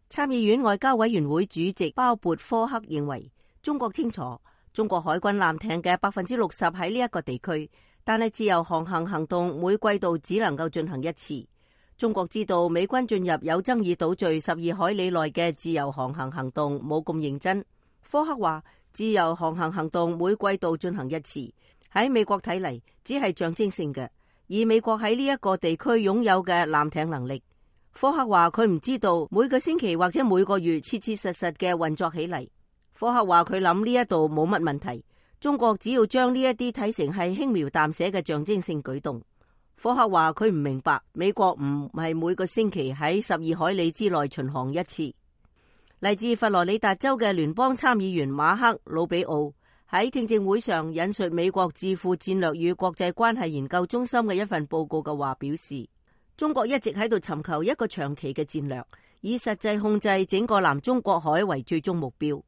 參議院外交委員會主席鮑勃科克認為，中國清楚中國海軍艦艇嘅60%喺呢一個地區，但係自由航行行動每季度只能夠進行一次。中國知道美軍進入有爭議島嶼12海里內嘅自由航行行動冇咁認真。科克話，自由航行行動每季度進行一次，喺美國睇嚟只係象徵性嘅，以美國喺呢一個地區擁有嘅艦艇能力。科克話佢唔知道每個星期或者每個月切切實實嘅運作起嚟。科克話佢諗呢一度冇乜問題，中國只要將呢一啲睇成係輕描淡寫嘅象徵性舉動。科克話佢唔明白美國唔係每個星期喺12海里之內巡航一次。嚟自佛羅里達州嘅聯邦參議員馬克魯比奧喺聽證會上引述美國智庫戰略與國際關係研究中心嘅一份報告嘅話表示，中國一直喺度尋求一個長期嘅戰略，以實際控制整個南中國海為最終目標。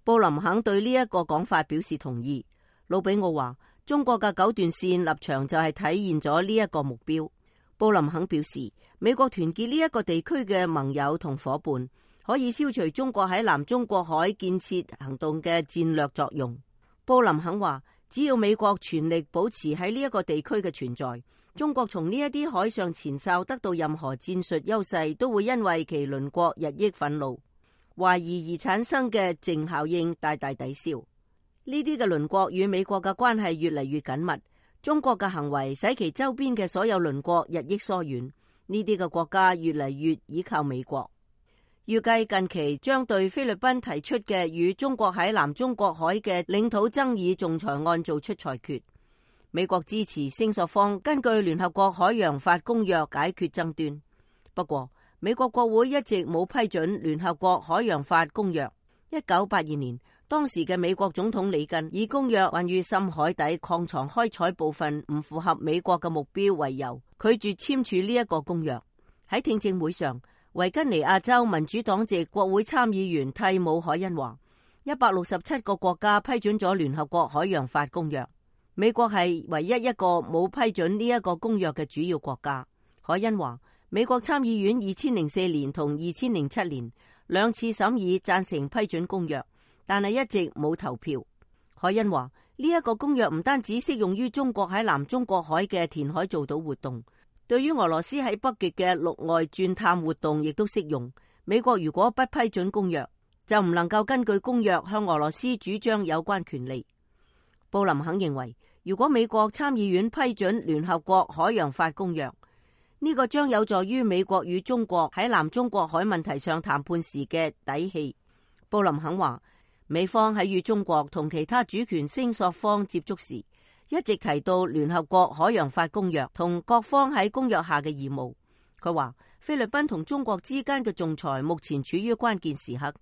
布林肯對呢一個講法表示同意。魯比奧話，中國嘅9段線立場就係體現咗呢一個目標。布林肯表示，美國團結呢一個地區嘅盟友同夥伴，可以消除中國喺南中國海建設行動嘅戰略作用。布林肯話，只要美國全力保持喺呢一個地區嘅存在，中國從呢一啲海上前哨得到任何戰術優勢，都會因為其鄰國日益憤怒、懷疑而產生嘅正效應大大抵消。呢啲嘅鄰國與美國嘅關係越嚟越緊密，中國嘅行為使其周邊嘅所有鄰國日益疏遠，呢啲嘅國家越嚟越依靠美國。預計近期將對菲律賓提出嘅與中國喺南中國海嘅領土爭議仲裁案做出裁決。美國支持聲索方根據聯合國海洋法公約解決爭端，不過美國國會一直冇批准聯合國海洋法公約。1982年，當時嘅美國總統里根以公約關於深海底礦床開採部分唔符合美國嘅目標為由，拒絕簽署呢一個公約。喺聽證會上，維吉尼亞州民主黨籍國會參議員蒂姆·凱恩話，167個國家批准咗聯合國海洋法公約，美國係唯一一個冇批准呢一個公約嘅主要國家。凱恩話，美國參議院2004年同2007年兩次審議贊成批准公約，但係一直冇投票。凱恩話，呢一個公約唔單止適用於中國喺南中國海嘅填海造島活動，對於俄羅斯喺北極嘅陸外鑽探活動亦都適用。美國如果不批准公約，就唔能夠根據公約向俄羅斯主張有關權利。布林肯認為，如果美國參議院批准聯合國海洋法公約，呢個將有助於美國與中國喺南中國海問題上談判時嘅底氣。布林肯話，美方喺與中國同其他主權聲索方接觸時，一直提到聯合國海洋法公約同各方喺公約下嘅義務。佢話，菲律賓同中國之間嘅仲裁目前處於關鍵時刻，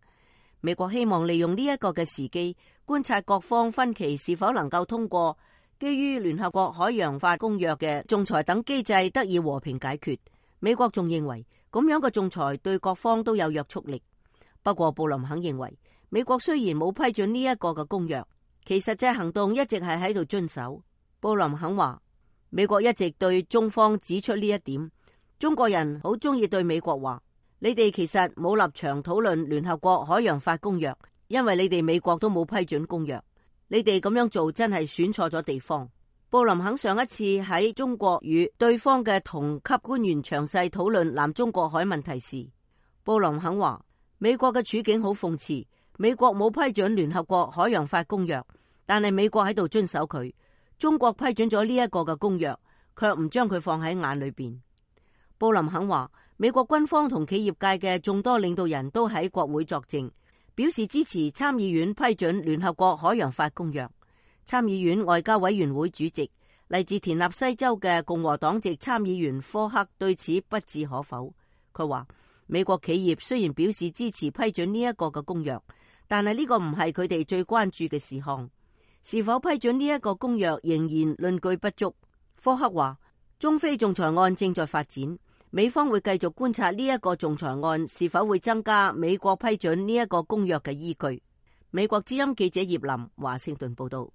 美國希望利用呢一個嘅時機，觀察各方分歧是否能夠通過基於聯合國海洋法公約嘅仲裁等機制得以和平解決。美國仲認為咁樣嘅仲裁對各方都有約束力。不過布林肯認為，美國雖然冇批准呢一個嘅公約，其實際行動一直係喺度遵守。布林肯話，美國一直對中方指出呢一點。中國人好中意對美國話，你哋其實冇立場討論聯合國海洋法公約，因為你哋美國都冇批准公約。你哋咁樣做真係選錯咗地方。布林肯上一次喺中國與對方嘅同級官員詳細討論南中國海問題時，布林肯話，美國嘅處境好諷刺，美國冇批准聯合國海洋法公約，但係美國喺度遵守佢。中國批准咗呢一個嘅公約，卻唔將佢放喺眼裏邊。布林肯話，美國軍方同企業界嘅眾多領導人都喺國會作證，表示支持參議院批准聯合國海洋法公約。參議院外交委員會主席嚟自田納西州嘅共和黨籍參議員科克對此不置可否。佢話，美國企業雖然表示支持批准呢一個嘅公約，但係呢個唔係佢哋最關注嘅事項。是否批准呢一個公約仍然論據不足。科克話，中非仲裁案正在發展，美方會繼續觀察呢一個仲裁案是否會增加美國批准呢一個公約嘅依據。美國之音記者葉林華盛頓報道。